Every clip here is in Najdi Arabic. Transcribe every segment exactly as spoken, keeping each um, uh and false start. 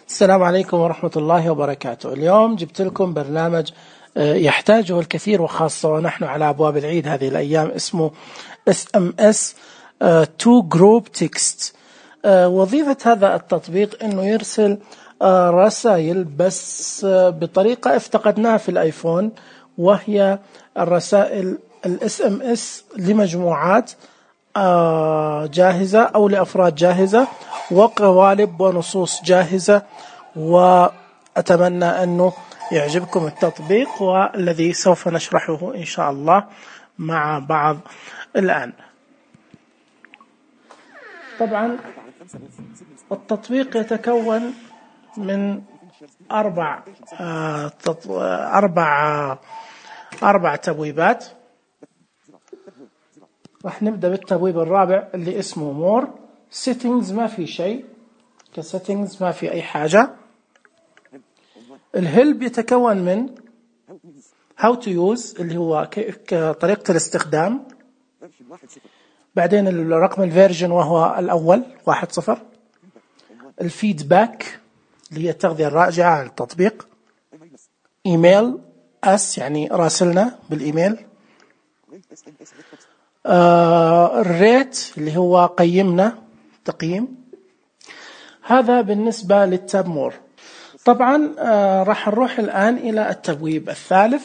السلام عليكم ورحمة الله وبركاته. اليوم جبت لكم برنامج يحتاجه الكثير، وخاصة ونحن على أبواب العيد هذه الأيام، اسمه إس إم إس To Group Text. وظيفة هذا التطبيق أنه يرسل رسائل بس بطريقة افتقدناها في الآيفون، وهي الرسائل ال إس إم إس لمجموعات جاهزة أو لأفراد جاهزة، وقوالب ونصوص جاهزة. وأتمنى أنه يعجبكم التطبيق، والذي سوف نشرحه إن شاء الله مع بعض الآن. طبعا التطبيق يتكون من أربع أربع أربع تبويبات. راح نبدأ بالتبويب الرابع اللي اسمه مور. settings ما في شيء، كsettings ما في أي حاجة. الهلب يتكون من how to use اللي هو طريقة الاستخدام، بعدين الرقم الفيرجن وهو الأول واحد صفر، الفيدباك اللي هي التغذية الراجعة عن التطبيق، إيميل أس يعني راسلنا بالإيميل، آه الريت اللي هو قيمنا تقييم. هذا بالنسبة للتاب مور. طبعا آه راح نروح الآن إلى التبويب الثالث،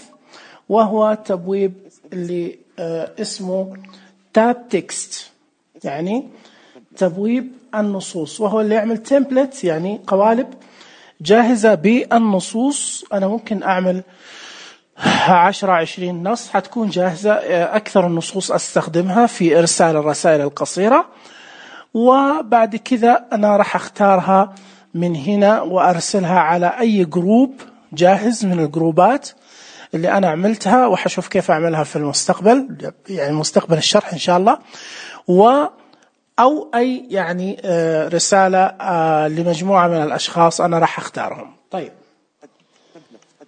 وهو تبويب اللي آه اسمه تاب تكست، يعني تبويب النصوص، وهو اللي يعمل تمبلت يعني قوالب جاهزة بالنصوص. أنا ممكن أعمل عشرة عشرين نص حتكون جاهزة. أكثر النصوص أستخدمها في إرسال الرسائل القصيرة، وبعد كذا أنا راح أختارها من هنا وأرسلها على أي جروب جاهز من الجروبات اللي أنا عملتها، وحشوف كيف أعملها في المستقبل، يعني مستقبل الشرح إن شاء الله. و أو أي يعني رسالة لمجموعة من الأشخاص أنا راح أختارهم. طيب،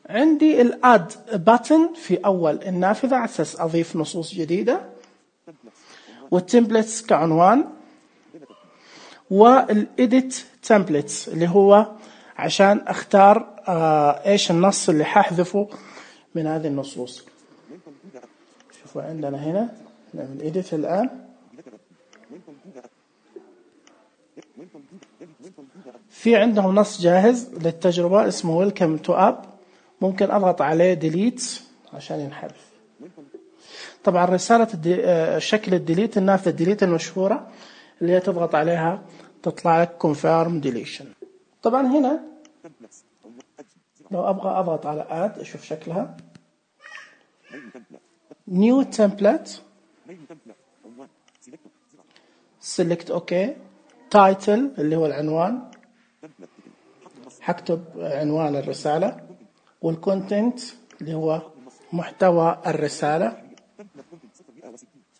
عندي الاد باتن في أول النافذة على أساس أضيف نصوص جديدة، والتمبلتس كعنوان، والإديت تمبلتس اللي هو عشان أختار إيش النص اللي ححذفه من هذه النصوص. شوفوا عندنا هنا نعمل إديت الآن. في عندهم نص جاهز للتجربة اسمه Welcome to App، ممكن أضغط عليه ديليت عشان ينحذف. طبعا رسالة شكل الديليت النافذة الديليت المشهورة اللي هي تضغط عليها تطلع لك Confirm Deletion. طبعا هنا لو أبغى أضغط على Add أشوف شكلها New Template، Select OK، Title اللي هو العنوان، حكتب عنوان الرسالة، والكونتنت اللي هو محتوى الرسالة.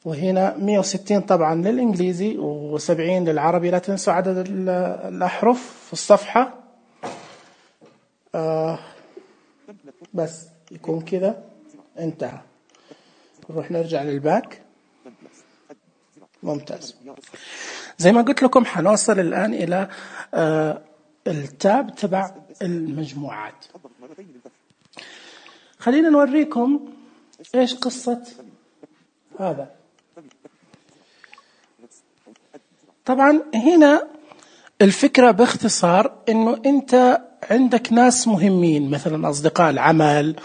وهنا مئة وستين طبعا للإنجليزي وسبعين للعربي. لا تنسوا عدد الأحرف في الصفحة. آه بس يكون كذا انتهى. نروح نرجع للباك. ممتاز. زي ما قلت لكم حنوصل الآن إلى آه التاب تبع المجموعات. خلينا نوريكم إيش قصة هذا. طبعا هنا الفكرة باختصار إنه أنت عندك ناس مهمين، مثلا أصدقاء العمل،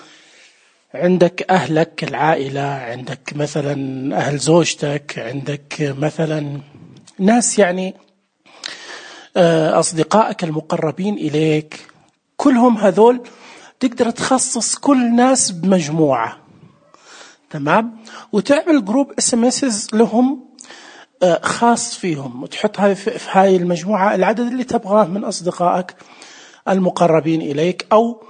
عندك أهلك العائلة، عندك مثلا أهل زوجتك، عندك مثلا ناس يعني أصدقائك المقربين إليك، كلهم هذول تقدر تخصص كل ناس بمجموعة، تمام، وتعمل جروب اس ام اس لهم خاص فيهم، وتحطها في هاي المجموعة العدد اللي تبغاه من أصدقائك المقربين إليك أو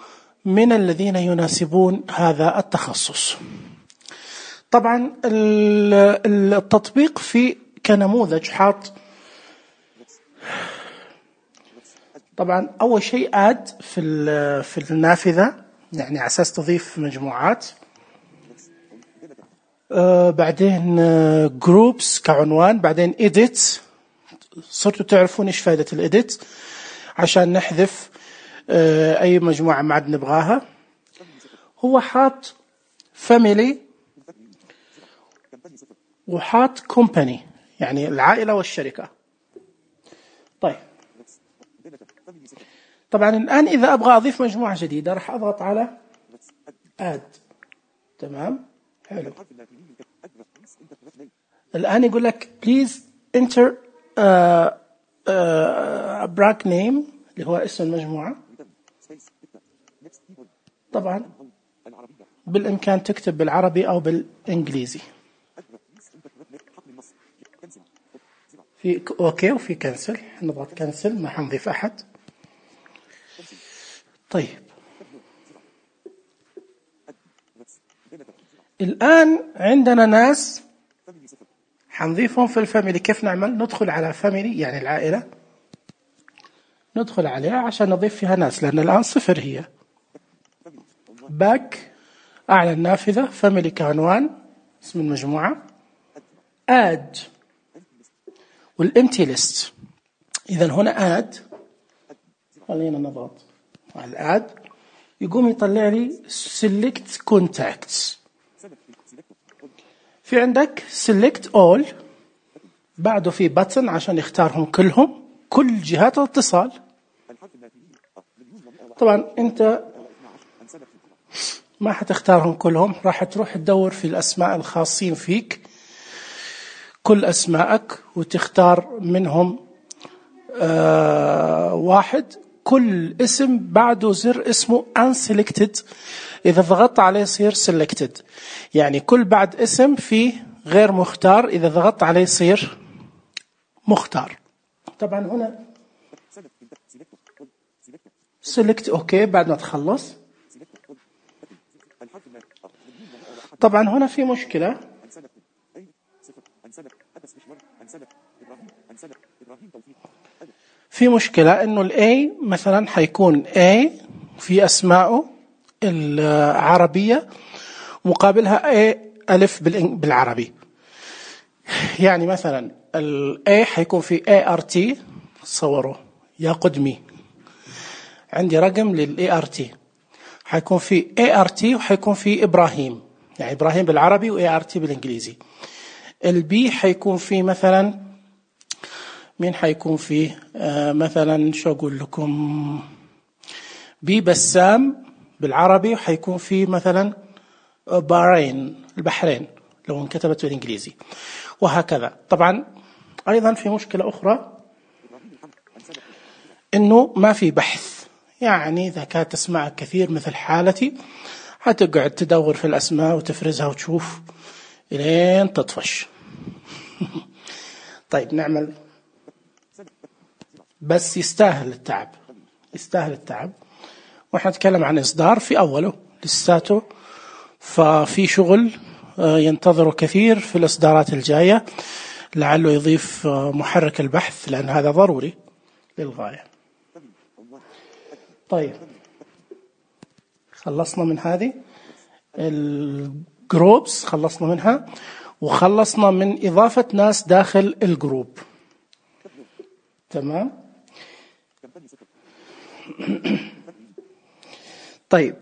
من الذين يناسبون هذا التخصص. طبعا التطبيق في كنموذج حاط طبعا أول شيء آد في في النافذة، يعني على أساس تضيف مجموعات. آه بعدين جروبس كعنوان، بعدين إيديت، صرتوا تعرفون إيش فائدة الإيديت. عشان نحذف أي مجموعة ما عاد نبغاها. هو حاط family وحاط company يعني العائلة والشركة. طيب طبعا الآن إذا أبغى أضيف مجموعة جديدة راح أضغط على add. تمام حلو. الآن يقول لك please enter uh, uh, brack name اللي هو اسم المجموعة. طبعا بالإمكان تكتب بالعربي أو بالإنجليزي. في أوكي وفي كنسل، نضغط كنسل ما حنضيف أحد. طيب الآن عندنا ناس حنضيفهم في الفاميلي. كيف نعمل؟ ندخل على فاميلي يعني العائلة، ندخل عليها عشان نضيف فيها ناس لأن الآن صفر هي. باك أعلى النافذة، فاميلي كعنوان اسم المجموعة، add والempty list. إذا هنا add، خلينا نضغط على add يقوم يطلع لي select contacts. في عندك select all، بعده في button عشان يختارهم كلهم، كل جهات الاتصال. طبعا أنت ما حتختارهم كلهم، راح تروح تدور في الأسماء الخاصين فيك كل أسمائك وتختار منهم آه واحد. كل اسم بعده زر اسمه unselected، إذا ضغطت عليه يصير selected، يعني كل بعد اسم فيه غير مختار، إذا ضغطت عليه يصير مختار. طبعا هنا select أوكي بعد ما تخلص. طبعا هنا في مشكلة، في مشكلة إنه الA مثلا حيكون A في أسماءه العربية مقابلها A ألف بالعربي. يعني مثلا الA حيكون في إيه آر تي، صوروا يا قدمي عندي رقم للإيه آر تي، حيكون في إيه آر تي وحيكون في إبراهيم، يعني إبراهيم بالعربي وإيه آر تي بالإنجليزي. البي حيكون في مثلا مين حيكون فيه آه مثلا شو أقول لكم، بي بسام بالعربي وحيكون فيه مثلا بحرين البحرين لو انكتبت بالإنجليزي، وهكذا. طبعا أيضا في مشكلة أخرى إنه ما في بحث، يعني إذا كانت تسمعك كثير مثل حالتي هتقعد تدور في الأسماء وتفرزها وتشوف إلين تطفش. طيب نعمل، بس يستاهل التعب، يستاهل التعب. وإحنا نتكلم عن إصدار في أوله لساته، ففي شغل ينتظر كثير في الإصدارات الجاية، لعله يضيف محرك البحث لأن هذا ضروري للغاية. طيب خلصنا من هذه الجروبس، خلصنا منها، وخلصنا من إضافة ناس داخل الجروب. تمام. طيب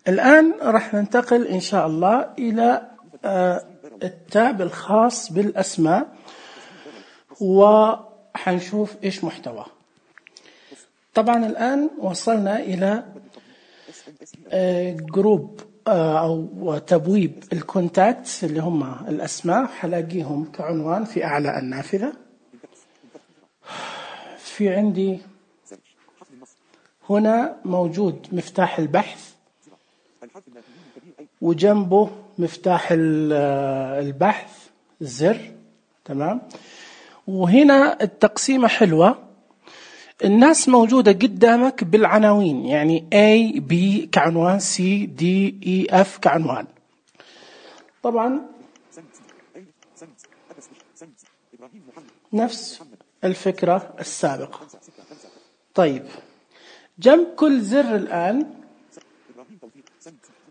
الآن راح ننتقل إن شاء الله إلى التاب الخاص بالأسماء، وحنشوف إيش محتوى. طبعا الآن وصلنا إلى جروب أو تبويب الكونتاكتس اللي هم الأسماء، حلاقيهم كعنوان في أعلى النافذة. في عندي هنا موجود مفتاح البحث وجنبه مفتاح البحث الزر. تمام. وهنا التقسيمة حلوة، الناس موجودة قدامك بالعناوين، يعني A B كعنوان، C D E F كعنوان. طبعا نفس الفكرة السابقة. طيب جنب كل زر الآن،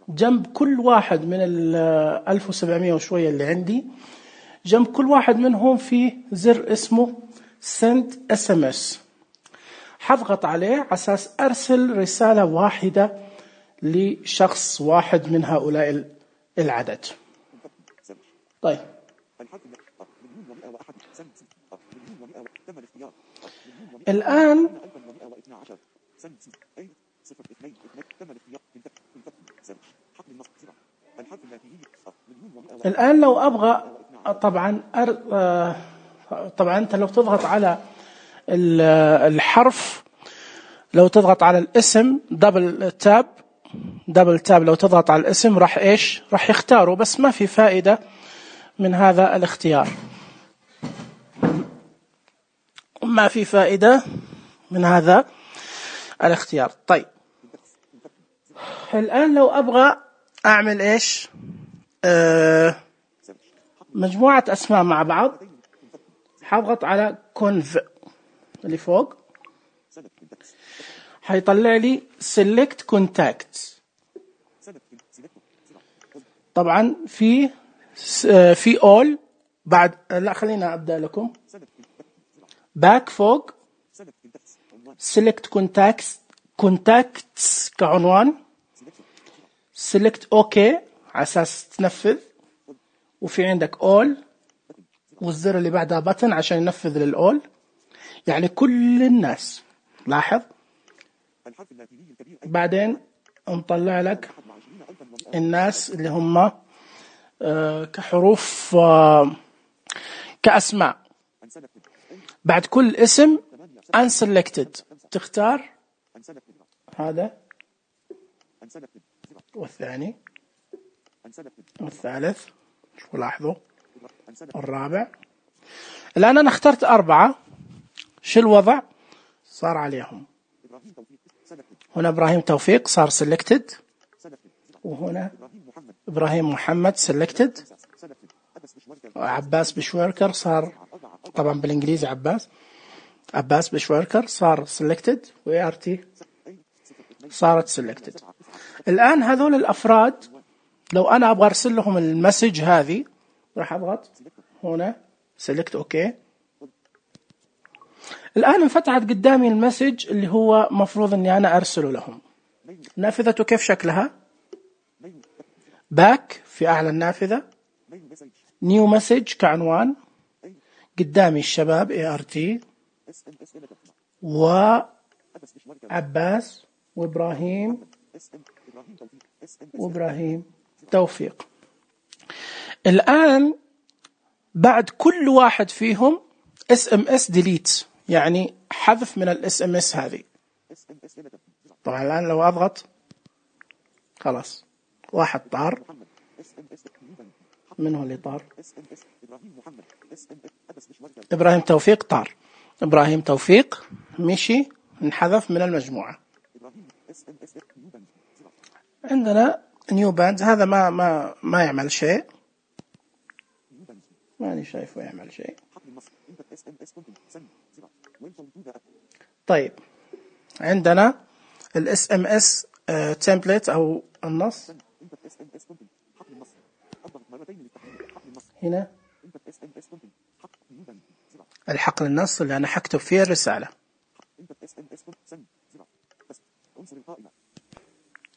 جنب كل واحد من ال ألف وسبعمائة وشوية اللي عندي، جنب كل واحد منهم في زر اسمه send إس إم إس. حضغط عليه على أساس أرسل رسالة واحدة لشخص واحد من هؤلاء العدد. طيب الآن الآن لو أبغى طبعا أر... طبعا أنت لو تضغط على الحرف، لو تضغط على الاسم دبل تاب دبل تاب لو تضغط على الاسم راح إيش راح يختاره، بس ما في فائدة من هذا الاختيار، ما في فائدة من هذا الاختيار. طيب الآن لو أبغى أعمل إيش أه مجموعة أسماء مع بعض، حضغط على كونف اللي فوق، حيطلع لي select contacts. طبعا في في all بعد، لا خلينا أبدأ لكم back فوق select contacts contacts كعنوان، select OK على أساس تنفذ، وفي عندك all والزر اللي بعدها button عشان ينفذ للأول، يعني كل الناس. لاحظ بعدين نطلع لك الناس اللي هم آه كحروف آه كأسماء. بعد كل اسم unselected تختار هذا والثاني والثالث، شو لاحظوا الرابع. الآن أنا اخترت أربعة، شو الوضع صار عليهم؟ هنا إبراهيم توفيق صار selected، وهنا إبراهيم محمد selected، عباس بشويركر صار طبعا بالإنجليزي عباس عباس بشويركر صار selected، و ART صارت selected. الآن هذول الأفراد لو أنا أبغى أرسل لهم المسج هذه راح أضغط هنا select OK. الآن انفتحت قدامي المسج اللي هو مفروض أني أنا أرسله لهم. نافذته كيف شكلها؟ باك في أعلى النافذة، نيو مسج كعنوان، قدامي الشباب ART وعباس وإبراهيم وإبراهيم توفيق. الآن بعد كل واحد فيهم اس ام اس ديليت، يعني حذف من الاس ام اس هذه. طبعا الآن لو أضغط خلاص واحد طار. من هو اللي طار؟ إبراهيم توفيق طار. إبراهيم توفيق مشي انحذف من المجموعة. عندنا نيو باند، هذا ما ما ما يعمل شيء، ماني شايفه يعمل شيء. طيب عندنا الاس ام اس تمبلت او النص، هنا الحقل النص اللي انا حكتب فيه الرسالة.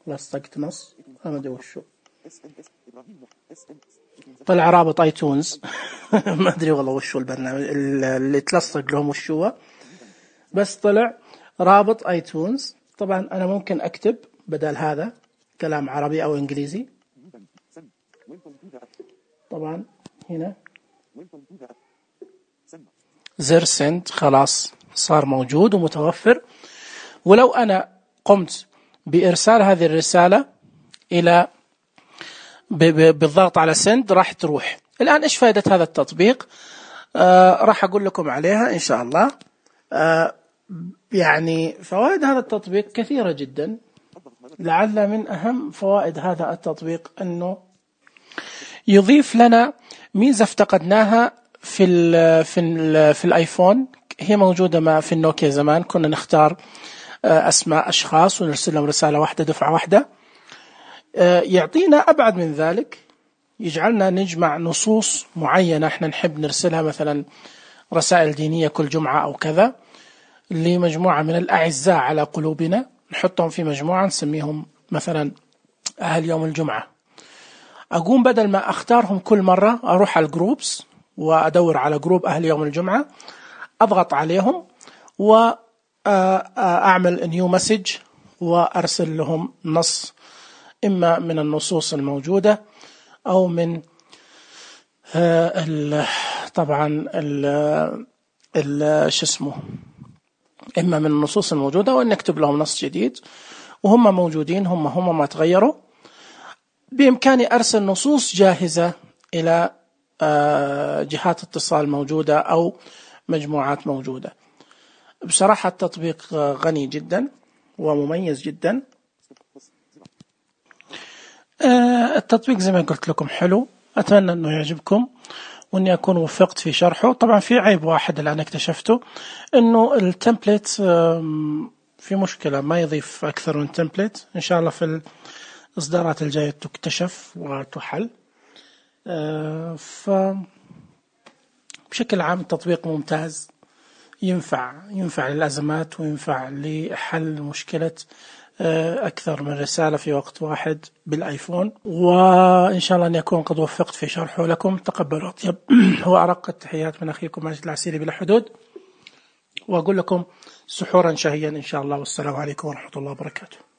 لصقت نص ما ادري وشو، طلع رابط ايتونز ما ادري والله وشو البرنامج اللي تلصق لهم وشو، بس طلع رابط ايتونز. طبعا انا ممكن اكتب بدل هذا كلام عربي او انجليزي. طبعا هنا زر سند خلاص صار موجود ومتوفر، ولو انا قمت بارسال هذه الرسالة الى بالضغط على سند راح تروح. الآن إيش فائدة هذا التطبيق؟ آه راح أقول لكم عليها إن شاء الله. آه يعني فوائد هذا التطبيق كثيرة جدا. لعل من أهم فوائد هذا التطبيق أنه يضيف لنا ميزة افتقدناها في ال في ال في الآيفون، هي موجودة ما في النوكيا زمان، كنا نختار آه أسماء أشخاص ونرسل لهم رسالة واحدة دفعة واحدة. يعطينا أبعد من ذلك، يجعلنا نجمع نصوص معينة احنا نحب نرسلها، مثلا رسائل دينية كل جمعة أو كذا، لمجموعة من الأعزاء على قلوبنا، نحطهم في مجموعة نسميهم مثلا أهل يوم الجمعة. أقوم بدل ما أختارهم كل مرة أروح على الجروبس وأدور على جروب أهل يوم الجمعة، أضغط عليهم وأعمل نيو مسج وأرسل لهم نص إما من النصوص الموجودة أو من ال طبعا ال ال شو اسمه إما من النصوص الموجودة، وأن نكتب لهم نص جديد وهم موجودين، هم هم ما تغيروا. بإمكاني أرسل نصوص جاهزة إلى جهات اتصال موجودة أو مجموعات موجودة. بصراحة التطبيق غني جدا ومميز جدا. التطبيق زي ما قلت لكم حلو، أتمنى أنه يعجبكم وأني أكون وفقت في شرحه. طبعا في عيب واحد الآن اكتشفته، أنه التمبليت في مشكلة، ما يضيف أكثر من تمبليت. إن شاء الله في الإصدارات الجاية تكتشف وتحل. فبشكل عام التطبيق ممتاز، ينفع ينفع للأزمات وينفع لحل مشكلة أكثر من رسالة في وقت واحد بالآيفون. وإن شاء الله أن يكون قد وفقت في شرحه لكم. تقبلوا أطيب وأرق التحيات من أخيكم ماجد العسيري بلا حدود، وأقول لكم سحورا شهيا إن شاء الله، والسلام عليكم ورحمة الله وبركاته.